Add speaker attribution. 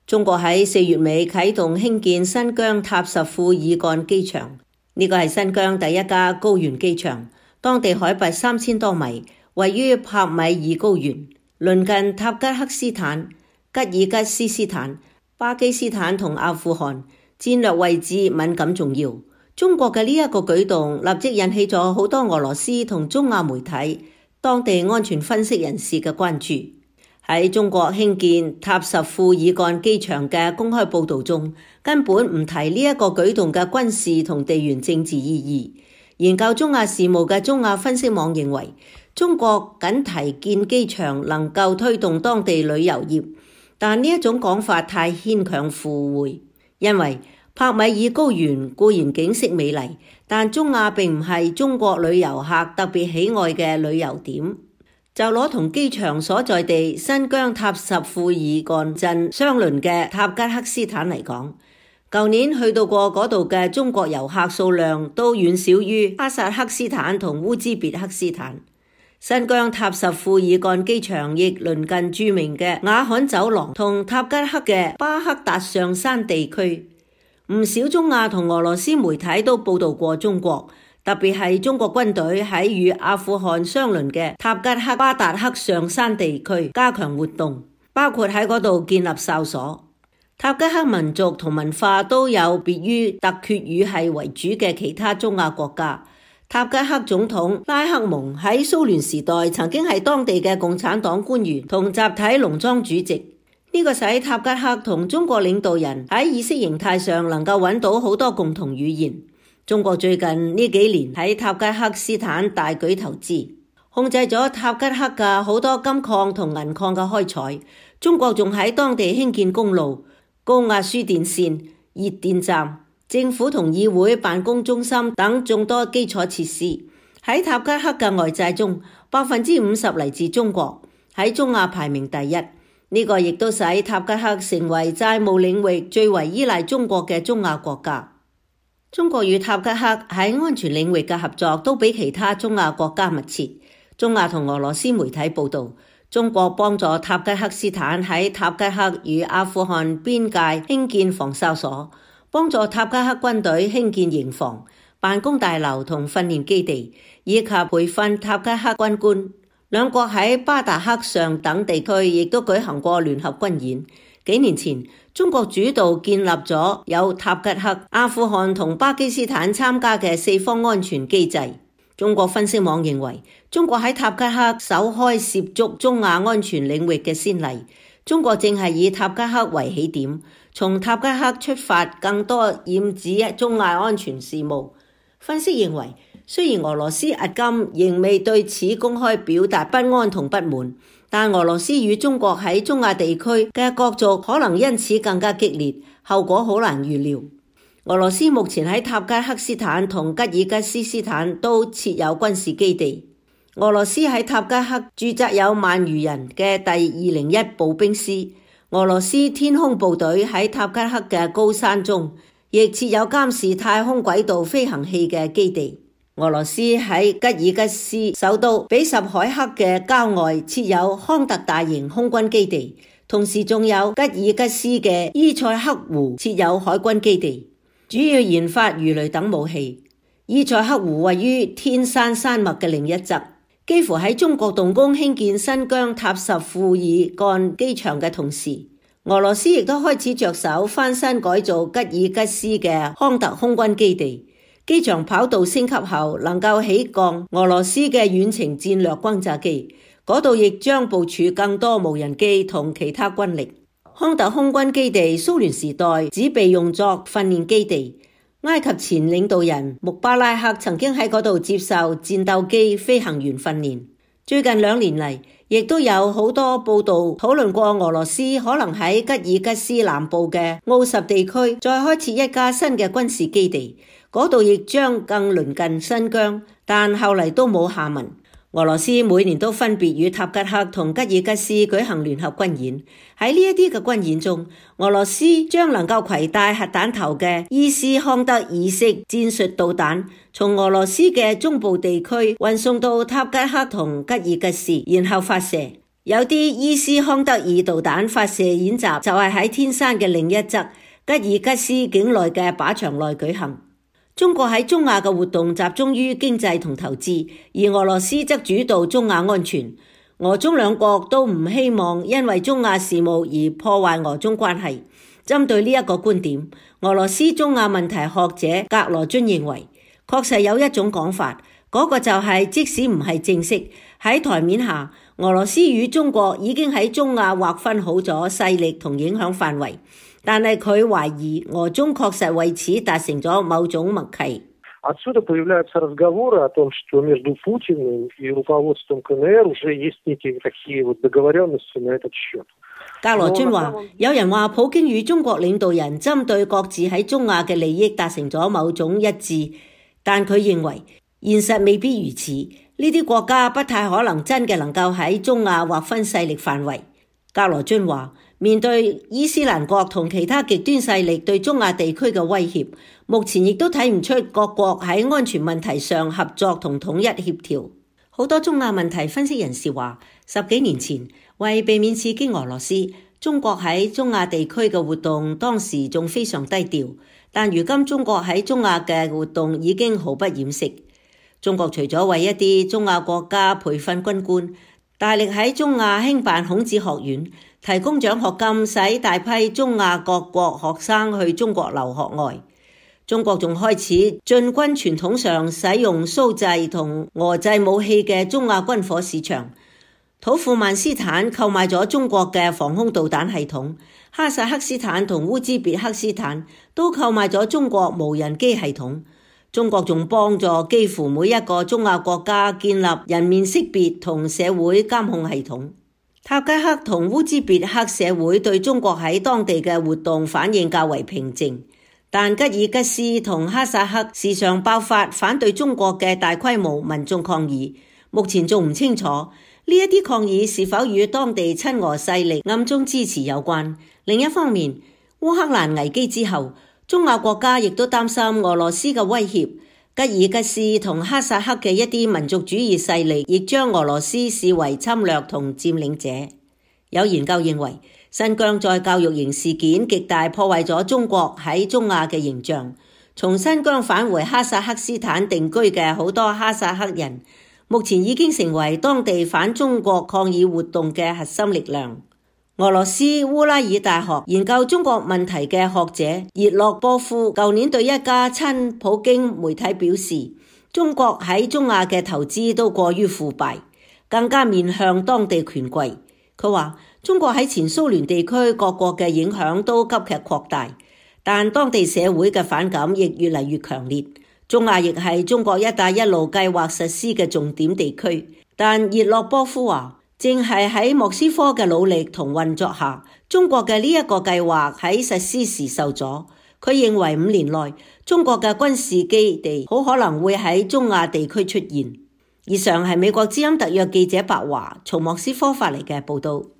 Speaker 1: 中國喺4月尾啟動興建新疆塔什庫爾幹機場，呢個係新疆第一家高原機場，當地海拔3000多米，位於帕米爾高原，鄰近塔吉克斯坦、吉爾吉斯斯坦、巴基斯坦同阿富汗，戰略位置敏感重要。中國嘅呢一個舉動立即引起咗好多俄羅斯同中亞媒體、當地安全分析人士嘅關注。喺中國興建塔什庫爾幹機場嘅公開報導中，根本唔提呢一個舉動嘅軍事同地緣政治意義。研究中亞事務嘅中亞分析網認為，中國僅提建機場能夠推動當地旅遊業，但呢一種講法太牽強附會，因為帕米爾高原固然景色美麗，但中亞並唔係中國旅遊客特別喜愛嘅旅遊點。就攞同機場所在地新疆塔什庫爾幹鎮相鄰嘅塔吉克斯坦嚟講，舊年去到過嗰度嘅中國遊客數量都遠少於哈薩克斯坦同烏茲別克斯坦。新疆塔什庫爾幹機場亦鄰近著名嘅雅罕走廊同塔吉克嘅巴克達上山地區。唔少中亞同俄羅斯媒體都報道過中國，特別係中國軍隊喺與阿富汗相鄰嘅塔吉克巴達克上山地區加強活動，包括喺嗰度建立哨所。塔吉克民族同文化都有別於突厥語系為主嘅其他中亞國家。塔吉克總統拉克蒙喺蘇聯時代曾經係當地嘅共產黨官員同集體農莊主席。呢個使塔吉克同中國領導人喺意識形態上能夠揾到好多共同語言。中國最近呢幾年喺塔吉克斯坦大舉投資，控制咗塔吉克嘅好多金礦同銀礦嘅開採。中國仲喺當地興建公路、高壓輸電線、熱電站、政府同議會辦公中心等眾多基礎設施。喺塔吉克嘅外債中，50%嚟自中國，喺中亞排名第一。呢個亦都使塔吉克成為債務領域最為依賴中國嘅中亞國家。中國與塔吉克喺安全領域嘅合作都比其他中亞國家密切。中亞同俄羅斯媒體報道，中國幫助塔吉克斯坦喺塔吉克與阿富汗邊界興建防哨所，幫助塔吉克軍隊興建營房、辦公大樓同訓練基地，以及培訓塔吉克軍官。兩國喺巴達克上等地區亦都舉行過聯合軍演。幾年前，中國主導建立咗有塔吉克、阿富汗同巴基斯坦參加嘅4方安全機制。中國分析網認為，中國喺塔吉克首開涉足中亞安全領域嘅先例。中國正係以塔吉克為起點，從塔吉克出發，更多染指中亞安全事務。分析認為，雖然俄羅斯迄今仍未對此公開表達不安同不滿，但俄羅斯與中國喺中亞地區嘅角逐可能因此更加激烈，後果好難預料。俄羅斯目前喺塔吉克斯坦同吉爾吉斯斯坦都設有軍事基地。俄羅斯喺塔吉克駐紮有萬餘人嘅第201步兵師。俄羅斯天空部隊喺塔吉克嘅高山中亦設有監視太空軌道飛行器嘅基地。俄羅斯喺吉爾吉斯首都比什凱克嘅郊外設有康特大型空軍基地，同時仲有吉爾吉斯嘅伊塞克湖設有海軍基地，主要研發魚雷等武器。伊塞克湖位於天山山脈嘅另一側，幾乎喺中國動工興建新疆塔什庫爾幹機場嘅同時，俄羅斯亦都開始着手翻新改造吉爾吉斯嘅康特空軍基地。機場跑道升級後，能夠起降俄羅斯嘅遠程戰略轟炸機，嗰度亦將部署更多無人機同其他軍力。康特空軍基地蘇聯時代只被用作訓練基地，埃及前領導人穆巴拉克曾經喺嗰度接受戰鬥機飛行員訓練。最近2年嚟，亦都有好多報道討論過俄羅斯可能喺吉爾吉斯南部嘅奧什地區再開設一家新嘅軍事基地，嗰度亦將更鄰近新疆，但後嚟都冇下文。俄羅斯每年都分別與塔吉克同吉爾吉斯舉行聯合軍演，喺呢一啲嘅軍演中，俄羅斯將能夠攜帶核彈頭嘅伊斯康德爾式戰術導彈，從俄羅斯嘅中部地區運送到塔吉克同吉爾吉斯，然後發射。有啲伊斯康德爾導彈發射演習就係喺天山嘅另一側吉爾吉斯境內嘅靶場內舉行。中國喺中亞嘅活動集中於經濟同投資，而俄羅斯則主導中亞安全。俄中兩國都唔希望因為中亞事務而破壞俄中關係。針對呢一個觀點，俄羅斯中亞問題學者格羅津認為，確實有一種講法，嗰個就係即使唔係正式喺台面下，俄羅斯與中國已經喺中亞劃分好咗勢力同影響範圍，但係佢懷疑俄中確實為此達成咗某種默契。
Speaker 2: Отсюда появляются разговоры о том, что между Путиным и руководством КНР уже есть некие такие договоренности на этот счет。
Speaker 1: 格羅津話，有人話普京與中國領導人針對各自喺中亞嘅利益達成咗某種一致，但佢認為現實未必如此，呢啲國家不太可能真嘅能夠喺中亞劃分勢力範圍。格羅津話，面對伊斯蘭國同其他極端勢力對中亞地區嘅威脅，目前亦都睇唔出各國喺安全問題上合作同統一協調。好多中亞問題分析人士話，10幾年前為避免刺激俄羅斯，中國喺中亞地區嘅活動當時仲非常低調，但如今中國喺中亞嘅活動已經毫不掩飾。中國除咗為一啲中亞國家培訓軍官，大力喺中亞興辦孔子學院，提供獎學金使大批中亞各國學生去中國留學外，中國仲開始進軍傳統上使用蘇製同俄製武器嘅中亞軍火市場。土庫曼斯坦購買咗中國嘅防空導彈系統，哈薩克斯坦同烏茲別克斯坦都購買咗中國無人機系統。中國仲幫助幾乎每一個中亞國家建立人面識別同社會監控系統。塔吉克同烏茲別克社會對中國喺當地嘅活動反應較為平靜，但吉爾吉斯同哈薩克時常爆發反對中國嘅大規模民眾抗議。目前仲唔清楚呢一啲抗議是否與當地親俄勢力暗中支持有關。另一方面，烏克蘭危機之後，中亞國家亦都擔心俄羅斯嘅威脅，吉爾吉斯同哈薩克嘅一啲民族主義勢力亦將俄羅斯視為侵略同佔領者。有研究認為，新疆在教育營事件極大破壞咗中國喺中亞嘅形象。從新疆返回哈薩克斯坦定居嘅好多哈薩克人，目前已經成為當地反中國抗議活動嘅核心力量。俄羅斯烏拉爾大學研究中國問題嘅學者葉洛波夫舊年對一家親普京媒體表示，中國喺中亞嘅投資都過於腐敗，更加面向當地權貴。佢話中國喺前蘇聯地區各國嘅影響都急劇擴大，但當地社會嘅反感亦越嚟越強烈。中亞亦係中國一帶一路計劃實施嘅重點地區，但葉洛波夫話，正係喺莫斯科嘅努力同運作下，中國嘅呢一個計劃喺實施時受阻。佢認為5年內，中國嘅軍事基地好可能會喺中亞地區出現。以上係美國之音特約記者白華從莫斯科發嚟嘅報道。